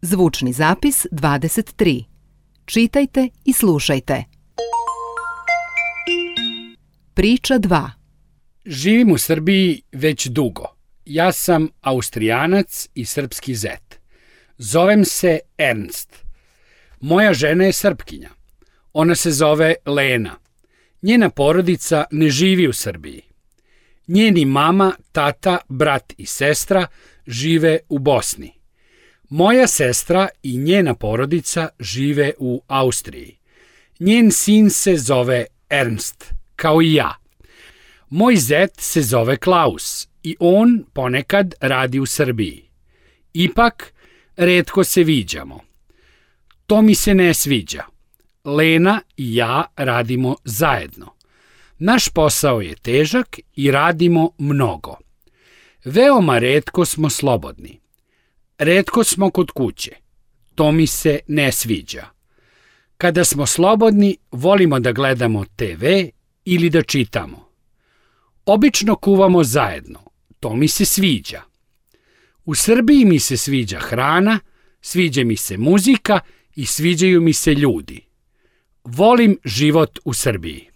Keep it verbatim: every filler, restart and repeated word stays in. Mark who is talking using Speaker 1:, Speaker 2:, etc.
Speaker 1: Zvučni zapis dvadeset tri. Čitajte i slušajte. Priča dva.
Speaker 2: Živim u Srbiji već dugo. Ja sam Austrijanac i srpski zet. Zovem se Ernst. Moja žena je Srpkinja. Ona se zove Lena. Njena porodica ne živi u Srbiji. Njeni mama, tata, brat i sestra žive u Bosni. Moja sestra i njena porodica žive u Austriji. Njen sin se zove Ernst, kao i ja. Moj zet se zove Klaus i on ponekad radi u Srbiji. Ipak, retko se viđamo. To mi se ne sviđa. Lena i ja radimo zajedno. Naš posao je težak i radimo mnogo. Veoma retko smo slobodni. Retko smo kod kuće. To mi se ne sviđa. Kada smo slobodni, volimo da gledamo te ve ili da čitamo. Obično kuvamo zajedno. To mi se sviđa. U Srbiji mi se sviđa hrana, sviđa mi se muzika i sviđaju mi se ljudi. Volim život u Srbiji.